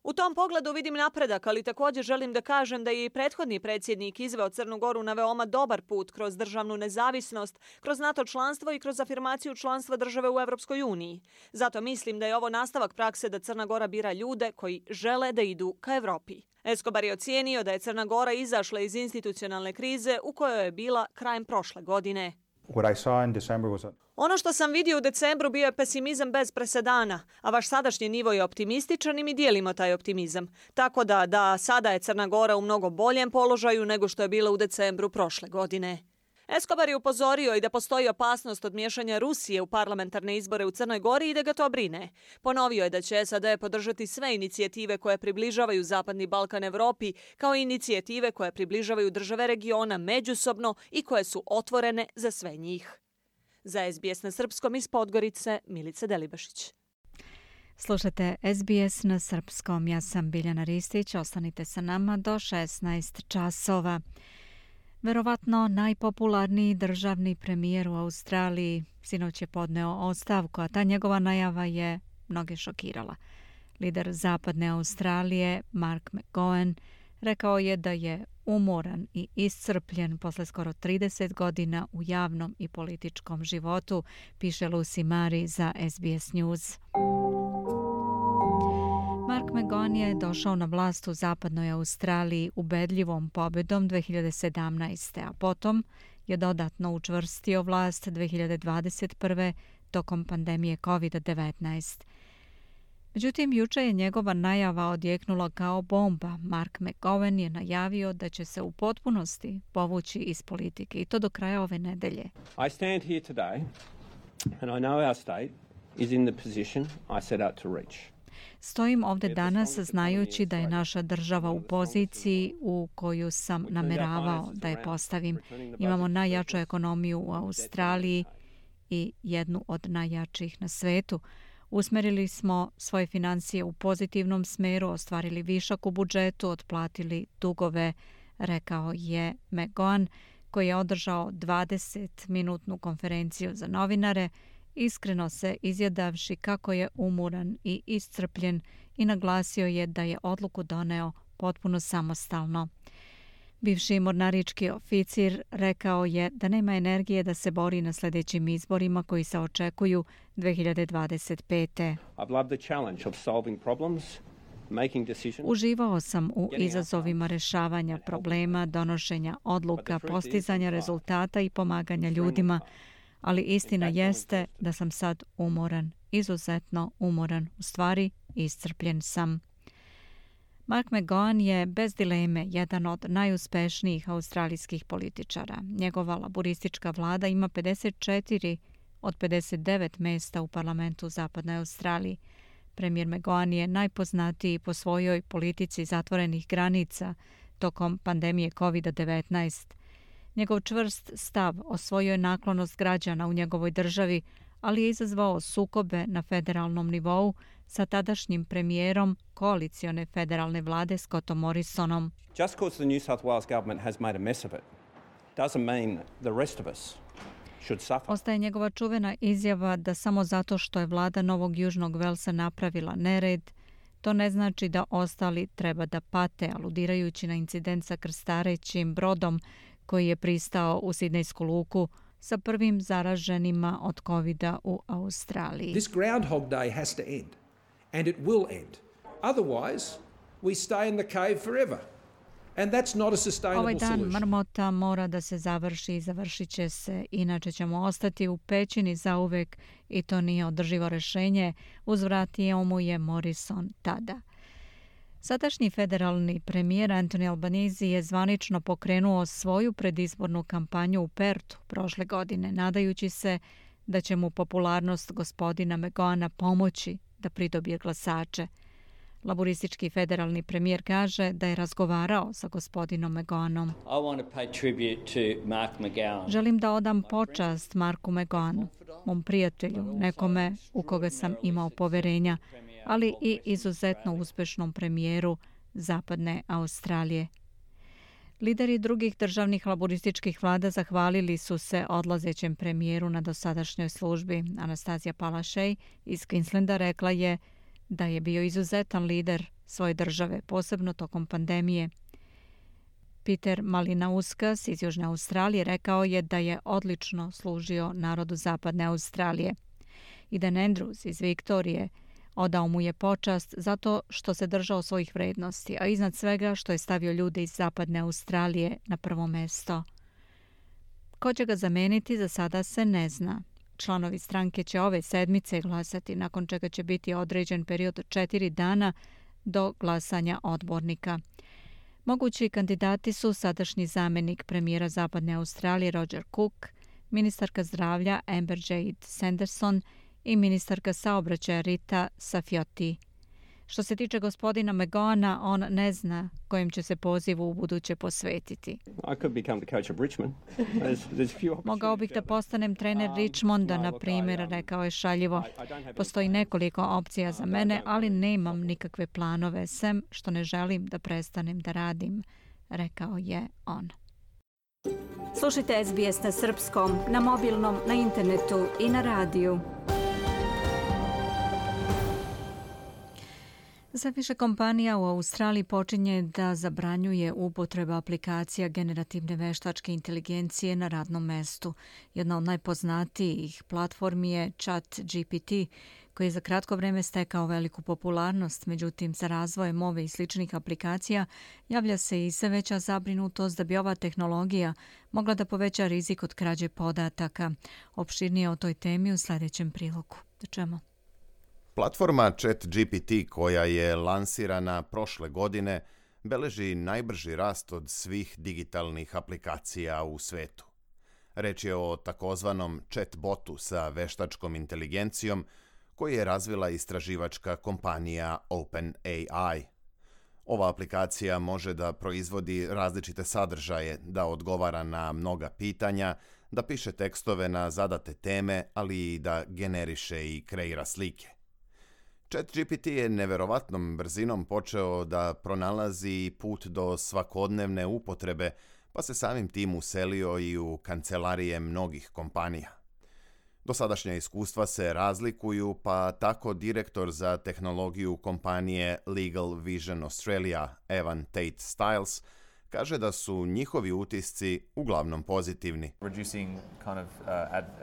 U tom pogledu vidim napredak, ali također želim da kažem da je i prethodni predsjednik izveo Crnu Goru na veoma dobar put kroz državnu nezavisnost, kroz NATO članstvo i kroz afirmaciju članstva države u Evropskoj uniji. Zato mislim da je ovo nastavak prakse da Crna Gora bira ljude koji žele da idu ka Evropi. Escobar je ocijenio da je Crna Gora izašla iz institucionalne krize u kojoj je bila krajem prošle godine. Ono što sam vidio u decembru bio je pesimizam bez presedana, a vaš sadašnji nivo je optimističan i mi dijelimo taj optimizam. Tako da sada je Crna Gora u mnogo boljem položaju nego što je bila u decembru prošle godine. Escobar je upozorio i da postoji opasnost od miješanja Rusije u parlamentarne izbore u Crnoj Gori i da ga to brine. Ponovio je da će SAD podržati sve inicijative koje približavaju Zapadni Balkan Evropi, kao i inicijative koje približavaju države regiona međusobno i koje su otvorene za sve njih. Za SBS na srpskom iz Podgorice, Milica Delibašić. Slušate SBS na srpskom. Ja sam Biljana Ristić. Ostanite sa nama do 16 časova. Verovatno najpopularniji državni premijer u Australiji sinoć je podneo ostavku, a ta njegova najava je mnoge šokirala. Lider Zapadne Australije, Mark McGowan, rekao je da je umoran i iscrpljen posle skoro 30 godina u javnom i političkom životu, piše Lucy Mari za SBS News. Mark McGowan je došao na vlast u Zapadnoj Australiji ubedljivom pobedom 2017. a potom je dodatno učvrstio vlast 2021. tokom pandemije COVID-19. Međutim, juče je njegova najava odjeknula kao bomba. Mark McGowan je najavio da će se u potpunosti povući iz politike i to do kraja ove nedelje. I stand here today and I know our state is in the position I set out to reach. Stojim ovdje danas znajući da je naša država u poziciji u koju sam nameravao da je postavim. Imamo najjaču ekonomiju u Australiji i jednu od najjačih na svetu. Usmerili smo svoje financije u pozitivnom smeru, ostvarili višak u budžetu, otplatili dugove, rekao je McGowan, koji je održao 20-minutnu konferenciju za novinare, iskreno se izjadavši kako je umoran i iscrpljen i naglasio je da je odluku doneo potpuno samostalno. Bivši mornarički oficir rekao je da nema energije da se bori na sljedećim izborima koji se očekuju 2025. Uživao sam u izazovima rješavanja problema, donošenja odluka, postizanja rezultata i pomaganja ljudima, ali istina jeste da sam sad umoran, izuzetno umoran, u stvari iscrpljen sam. Mark McGowan je bez dileme jedan od najuspešnijih australijskih političara. Njegova laboristička vlada ima 54 od 59 mjesta u parlamentu Zapadne Australije. Premijer McGowan je najpoznatiji po svojoj politici zatvorenih granica tokom pandemije COVID-19. Njegov čvrst stav osvojio je naklonost građana u njegovoj državi, ali je izazvao sukobe na federalnom nivou sa tadašnjim premijerom koalicione federalne vlade Scottom Morrisonom. Just because the New South Wales government has made a mess of it doesn't mean the rest of us should suffer. Ostaje njegova čuvena izjava da samo zato što je vlada Novog Južnog Velsa napravila nered, to ne znači da ostali treba da pate, aludirajući na incident sa krstarećim brodom koji je pristao u Sidnejsku luku sa prvim zaraženima od COVID-a u Australiji. This Groundhog Day has to end, and it will end. Otherwise, we stay in the cave forever. And that's not a sustainable Ovaj dan solution. mrmota mora da se završi i završit će se, inače ćemo ostati u pećini zauvek i to nije održivo rešenje, uzvratio mu je Morrison tada. Sadašnji federalni premijer Anthony Albanese je zvanično pokrenuo svoju predizbornu kampanju u Pertu prošle godine, nadajući se da će mu popularnost gospodina McGowana pomoći da pridobije glasače. Laboristički federalni premijer kaže da je razgovarao sa gospodinom McGowanom. Želim da odam počast Marku McGowanu, mom prijatelju, nekome u koga sam imao poverenja, ali i izuzetno uspešnom premijeru Zapadne Australije. Lideri drugih državnih laborističkih vlada zahvalili su se odlazećem premijeru na dosadašnjoj službi. Anastazija Palaszczuk iz Queenslanda rekla je da je bio izuzetan lider svoje države, posebno tokom pandemije. Peter Malinauskas iz Južne Australije rekao je da je odlično služio narodu Zapadne Australije. I Dan Andrews iz Viktorije odao mu je počast zato što se držao svojih vrednosti, a iznad svega što je stavio ljude iz Zapadne Australije na prvo mesto. Ko će ga zameniti, za sada se ne zna. Članovi stranke će ove sedmice glasati, nakon čega će biti određen period od 4 dana do glasanja odbornika. Mogući kandidati su sadašnji zamenik premijera Zapadne Australije Roger Cook, ministarka zdravlja Amber Jade Sanderson i ministarka saobraćaja Rita Safioti. Što se tiče gospodina McGowana, on ne zna kojem će se pozivu u buduće posvetiti. Mogao bih da postanem trener Richmonda, na primjer, rekao je šaljivo. Postoji nekoliko opcija za mene, ali nemam nikakve planove, sem što ne želim da prestanem da radim, rekao je on. Slušajte SBS na srpskom, na mobilnom, na internetu i na radiju. Sve više kompanija u Australiji počinje da zabranjuje upotrebu aplikacija generativne veštačke inteligencije na radnom mestu. Jedna od najpoznatijih platformi je ChatGPT, koji je za kratko vreme stekao veliku popularnost. Međutim, za razvojem ove i sličnih aplikacija javlja se i sve veća zabrinutost da bi ova tehnologija mogla da poveća rizik od krađe podataka. Opširnije o toj temi u sljedećem prilogu. Da čujemo. Platforma ChatGPT, koja je lansirana prošle godine, beleži najbrži rast od svih digitalnih aplikacija u svetu. Reč je o takozvanom chatbotu sa veštačkom inteligencijom koji je razvila istraživačka kompanija OpenAI. Ova aplikacija može da proizvodi različite sadržaje, da odgovara na mnoga pitanja, da piše tekstove na zadate teme, ali i da generiše i kreira slike. ChatGPT je neverovatnom brzinom počeo da pronalazi put do svakodnevne upotrebe, pa se samim tim uselio i u kancelarije mnogih kompanija. Dosadašnja iskustva se razlikuju, pa tako direktor za tehnologiju kompanije Legal Vision Australia, Evan Tate Stiles, kaže da su njihovi utisci uglavnom pozitivni. Reducing kind of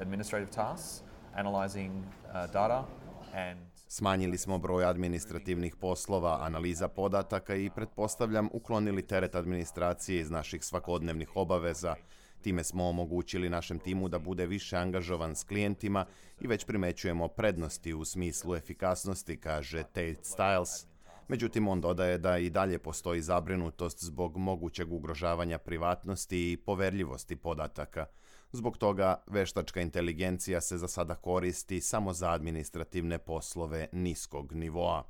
administrative tasks, analyzing data and Smanjili smo broj administrativnih poslova, analiza podataka i, pretpostavljam, uklonili teret administracije iz naših svakodnevnih obaveza. Time smo omogućili našem timu da bude više angažovan s klijentima i već primećujemo prednosti u smislu efikasnosti, kaže Tate Stiles. Međutim, on dodaje da i dalje postoji zabrinutost zbog mogućeg ugrožavanja privatnosti i poverljivosti podataka. Zbog toga, veštačka inteligencija se za sada koristi samo za administrativne poslove niskog nivoa.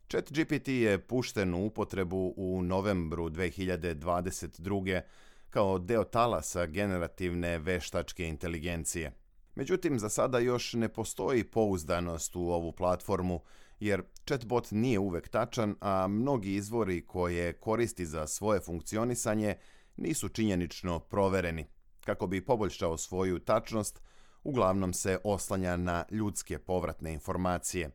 ChatGPT je pušten u upotrebu u novembru 2022. kao deo talasa generativne veštačke inteligencije. Međutim, za sada još ne postoji pouzdanost u ovu platformu, jer chatbot nije uvek tačan, a mnogi izvori koje koristi za svoje funkcionisanje nisu činjenično provereni. Kako bi poboljšao svoju tačnost, uglavnom se oslanja na ljudske povratne informacije.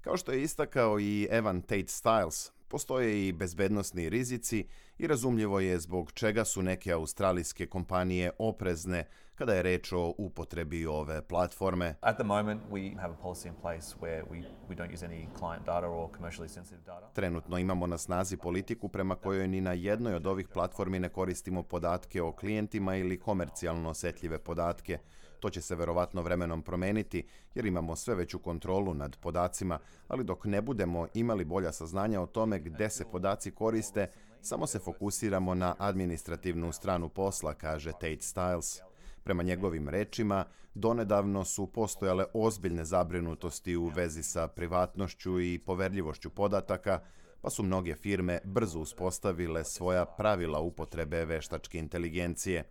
Kao što je istakao i Evan Tate Stiles, postoje i bezbednosni rizici i razumljivo je zbog čega su neke australijske kompanije oprezne kada je reč o upotrebi ove platforme. At the moment, we have a policy in place where we don't use any client data or commercially sensitive data. Trenutno imamo na snazi politiku prema kojoj ni na jednoj od ovih platformi ne koristimo podatke o klijentima ili komercijalno osjetljive podatke. To će se verovatno vremenom promeniti jer imamo sve veću kontrolu nad podacima, ali dok ne budemo imali bolja saznanja o tome gde se podaci koriste, samo se fokusiramo na administrativnu stranu posla, kaže Tate Stiles. Prema njegovim rečima, donedavno su postojale ozbiljne zabrinutosti u vezi sa privatnošću i poverljivošću podataka, pa su mnoge firme brzo uspostavile svoja pravila upotrebe veštačke inteligencije.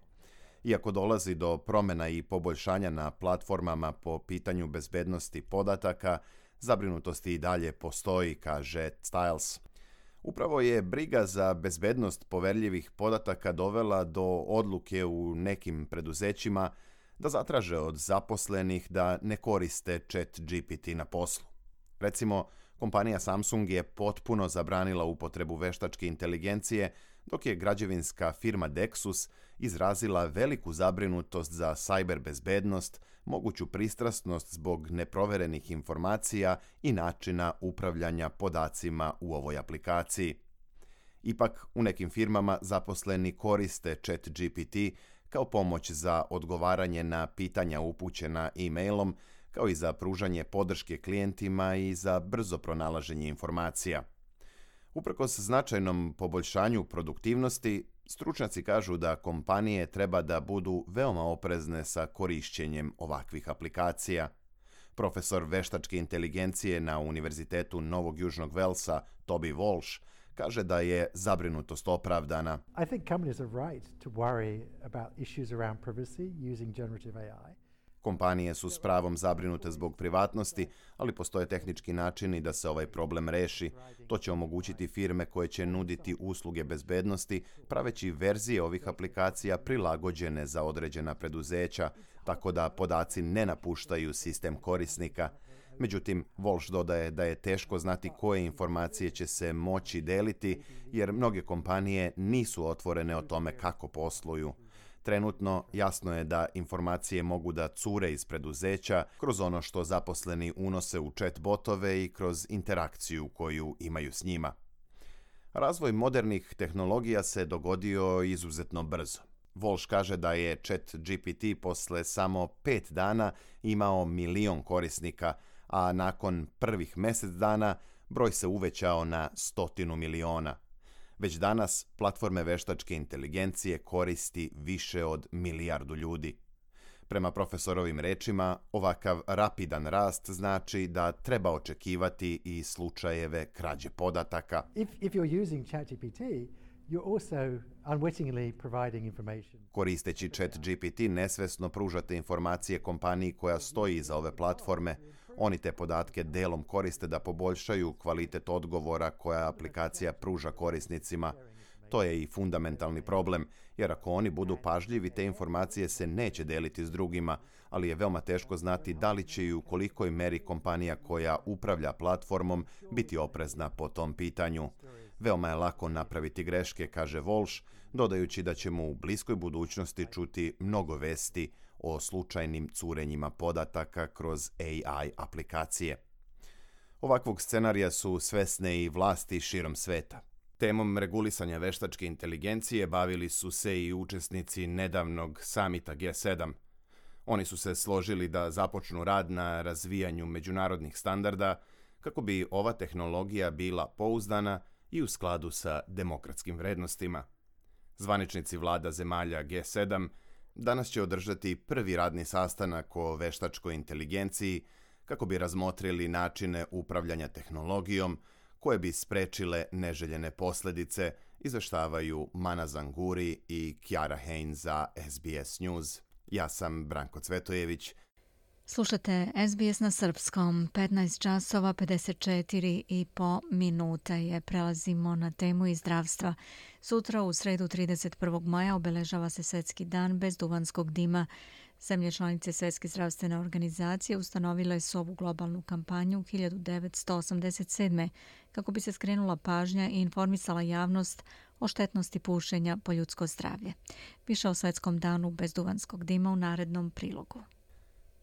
Iako dolazi do promjena i poboljšanja na platformama po pitanju bezbednosti podataka, zabrinutosti i dalje postoji, kaže Stiles. Upravo je briga za bezbednost poverljivih podataka dovela do odluke u nekim preduzećima da zatraže od zaposlenih da ne koriste ChatGPT na poslu. Recimo, kompanija Samsung je potpuno zabranila upotrebu veštačke inteligencije, dok je građevinska firma Dexus izrazila veliku zabrinutost za cyber bezbednost, moguću pristrasnost zbog neproverenih informacija i načina upravljanja podacima u ovoj aplikaciji. Ipak, u nekim firmama zaposleni koriste ChatGPT kao pomoć za odgovaranje na pitanja upućena e-mailom, kao i za pružanje podrške klijentima i za brzo pronalaženje informacija. Uprkos značajnom poboljšanju produktivnosti, stručnjaci kažu da kompanije treba da budu veoma oprezne sa korišćenjem ovakvih aplikacija. Profesor veštačke inteligencije na Univerzitetu Novog Južnog Velsa, Toby Walsh, kaže da je zabrinutost opravdana. I think companies are right to worry about issues around privacy using generative AI. Kompanije su s pravom zabrinute zbog privatnosti, ali postoje tehnički načini da se ovaj problem reši. To će omogućiti firme koje će nuditi usluge bezbednosti, praveći verzije ovih aplikacija prilagođene za određena preduzeća, tako da podaci ne napuštaju sistem korisnika. Međutim, Walsh dodaje da je teško znati koje informacije će se moći deliti, jer mnoge kompanije nisu otvorene o tome kako posluju. Trenutno jasno je da informacije mogu da cure iz preduzeća kroz ono što zaposleni unose u chat botove i kroz interakciju koju imaju s njima. Razvoj modernih tehnologija se dogodio izuzetno brzo. Walsh kaže da je ChatGPT posle samo 5 dana imao 1 milion korisnika, a nakon prvih mjesec dana broj se uvećao na 100 miliona. Već danas platforme veštačke inteligencije koristi više od 1 milijardu ljudi. Prema profesorovim rečima, ovakav rapidan rast znači da treba očekivati i slučajeve krađe podataka. If you're using ChatGPT, you're also unwittingly providing information. Koristeći ChatGPT nesvesno pružate informacije kompaniji koja stoji iza ove platforme. Oni te podatke delom koriste da poboljšaju kvalitet odgovora koja aplikacija pruža korisnicima. To je i fundamentalni problem, jer ako oni budu pažljivi, te informacije se neće deliti s drugima, ali je veoma teško znati da li će i u kolikoj meri kompanija koja upravlja platformom biti oprezna po tom pitanju. Veoma je lako napraviti greške, kaže Walsh, dodajući da ćemo u bliskoj budućnosti čuti mnogo vesti o slučajnim curenjima podataka kroz AI aplikacije. Ovakvog scenarija su svesne i vlasti širom sveta. Temom regulisanja veštačke inteligencije bavili su se i učesnici nedavnog samita G7. Oni su se složili da započnu rad na razvijanju međunarodnih standarda kako bi ova tehnologija bila pouzdana i u skladu sa demokratskim vrednostima. Zvaničnici vlada zemalja G7 danas će održati prvi radni sastanak o veštačkoj inteligenciji kako bi razmotrili načine upravljanja tehnologijom koje bi sprečile neželjene posljedice, izveštavaju Mana Zanguri i Kiara Hain za SBS News. Ja sam Branko Cvetojević. Slušate SBS na srpskom, 15 časova 54,5 minuta je. Prelazimo na temu i zdravstva. Sutra u sredu 31. maja obeležava se Svjetski dan bez duvanskog dima. Zemlje članice Svjetske zdravstvene organizacije ustanovile su ovu globalnu kampanju 1987. kako bi se skrenula pažnja i informisala javnost o štetnosti pušenja po ljudsko zdravlje. Više o Svjetskom danu bez duvanskog dima u narednom prilogu.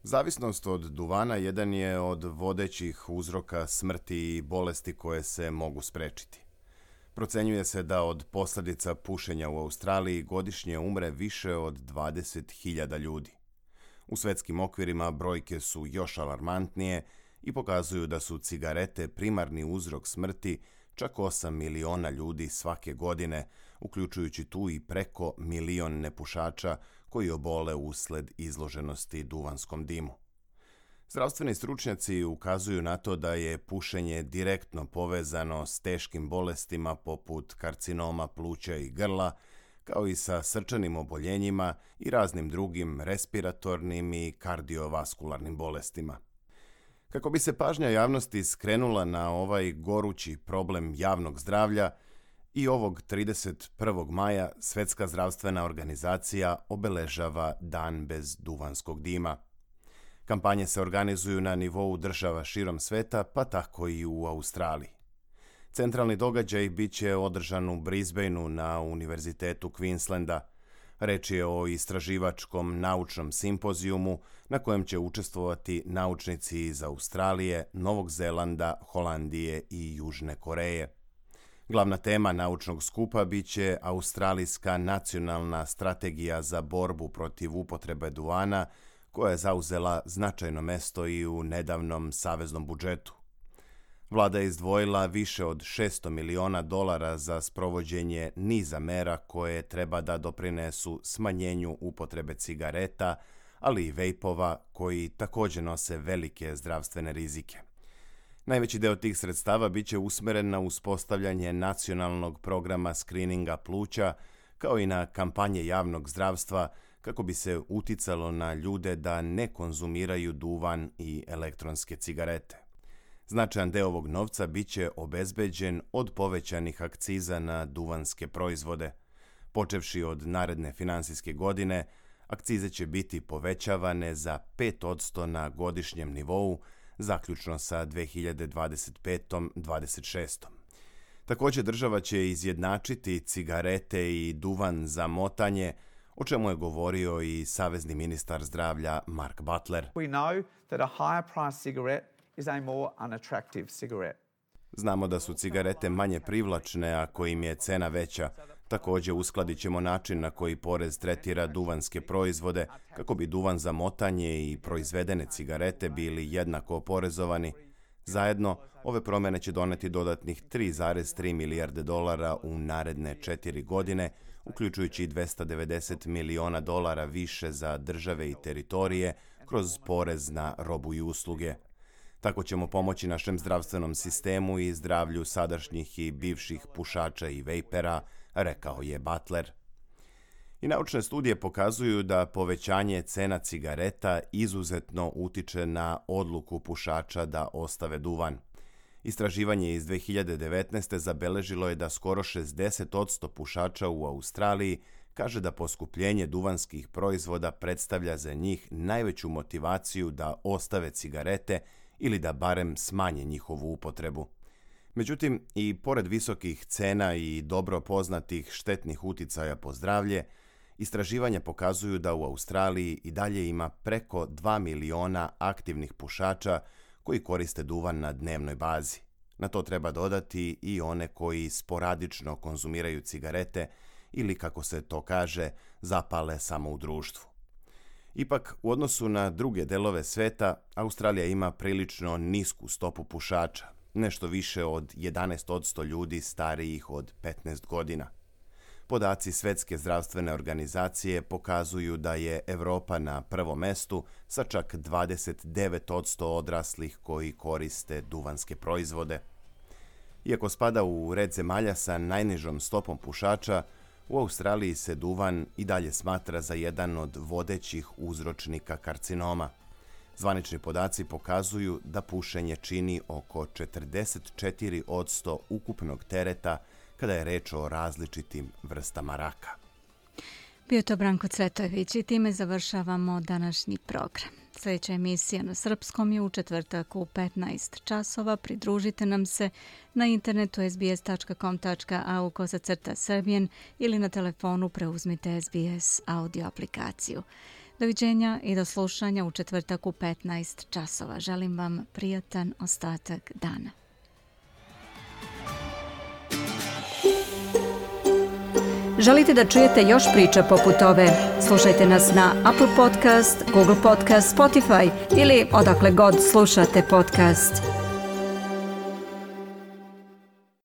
Zavisnost od duvana jedan je od vodećih uzroka smrti i bolesti koje se mogu sprečiti. Procenjuje se da od posljedica pušenja u Australiji godišnje umre više od 20.000 ljudi. U svjetskim okvirima brojke su još alarmantnije i pokazuju da su cigarete primarni uzrok smrti čak 8 miliona ljudi svake godine, uključujući tu i preko 1 milion nepušača koji obole usled izloženosti duvanskom dimu. Zdravstveni stručnjaci ukazuju na to da je pušenje direktno povezano s teškim bolestima poput karcinoma pluća i grla, kao i sa srčanim oboljenjima i raznim drugim respiratornim i kardiovaskularnim bolestima. Kako bi se pažnja javnosti skrenula na ovaj gorući problem javnog zdravlja, i ovog 31. maja Svjetska zdravstvena organizacija obeležava Dan bez duvanskog dima. Kampanje se organizuju na nivou država širom sveta, pa tako i u Australiji. Centralni događaj bit će održan u Brisbaneu na Univerzitetu Queenslanda. Reč je o istraživačkom naučnom simpozijumu na kojem će učestvovati naučnici iz Australije, Novog Zelanda, Holandije i Južne Koreje. Glavna tema naučnog skupa bit će Australijska nacionalna strategija za borbu protiv upotrebe duvana, koja je zauzela značajno mesto i u nedavnom saveznom budžetu. Vlada je izdvojila više od $600 miliona za sprovođenje niza mera koje treba da doprinesu smanjenju upotrebe cigareta, ali i vejpova koji također nose velike zdravstvene rizike. Najveći deo tih sredstava bit će usmeren na uspostavljanje nacionalnog programa skrininga pluća, kao i na kampanje javnog zdravstva kako bi se uticalo na ljude da ne konzumiraju duvan i elektronske cigarete. Značajan deo ovog novca bit će obezbeđen od povećanih akciza na duvanske proizvode. Počevši od naredne finansijske godine, akcize će biti povećavane za 5% na godišnjem nivou, zaključno sa 2025-26. Također država će izjednačiti cigarete i duvan za motanje, o čemu je govorio i savezni ministar zdravlja Mark Butler. We know that a higher price cigarette is a more unattractive cigarette. Znamo da su cigarete manje privlačne ako im je cena veća. Također uskladit ćemo način na koji porez tretira duvanske proizvode kako bi duvan za motanje i proizvedene cigarete bili jednako oporezovani. Zajedno, ove promjene će doneti dodatnih $3,3 milijarde u naredne 4 godine, uključujući i $290 miliona više za države i teritorije kroz porez na robu i usluge. Tako ćemo pomoći našem zdravstvenom sistemu i zdravlju sadašnjih i bivših pušača i vejpera, rekao je Butler. I naučne studije pokazuju da povećanje cena cigareta izuzetno utiče na odluku pušača da ostave duvan. Istraživanje iz 2019. zabeležilo je da skoro 60% pušača u Australiji kaže da poskupljenje duvanskih proizvoda predstavlja za njih najveću motivaciju da ostave cigarete ili da barem smanje njihovu upotrebu. Međutim, i pored visokih cena i dobro poznatih štetnih uticaja po zdravlje, istraživanja pokazuju da u Australiji i dalje ima preko 2 miliona aktivnih pušača koji koriste duvan na dnevnoj bazi. Na to treba dodati i one koji sporadično konzumiraju cigarete ili, kako se to kaže, zapale samo u društvu. Ipak, u odnosu na druge delove sveta, Australija ima prilično nisku stopu pušača, nešto više od 11% ljudi starijih od 15 godina. Podaci Svjetske zdravstvene organizacije pokazuju da je Evropa na prvom mestu sa čak 29% odraslih koji koriste duvanske proizvode. Iako spada u red zemalja sa najnižom stopom pušača, u Australiji se duvan i dalje smatra za jedan od vodećih uzročnika karcinoma. Zvanični podaci pokazuju da pušenje čini oko 44% ukupnog tereta kada je reč o različitim vrstama raka. Bio to Branko Cvetojević i time završavamo današnji program. Sljedeća emisija na srpskom je u četvrtak u 15 časova. Pridružite nam se na internetu sbs.com.au/Serbian ili na telefonu preuzmite SBS audio aplikaciju. Doviđenja i do slušanja u četvrtak u 15 časova. Želim vam prijatan ostatak dana. Želite da čujete još priča poput ove? Slušajte nas na Apple Podcast, Google Podcast, Spotify ili odakle god slušate podcast.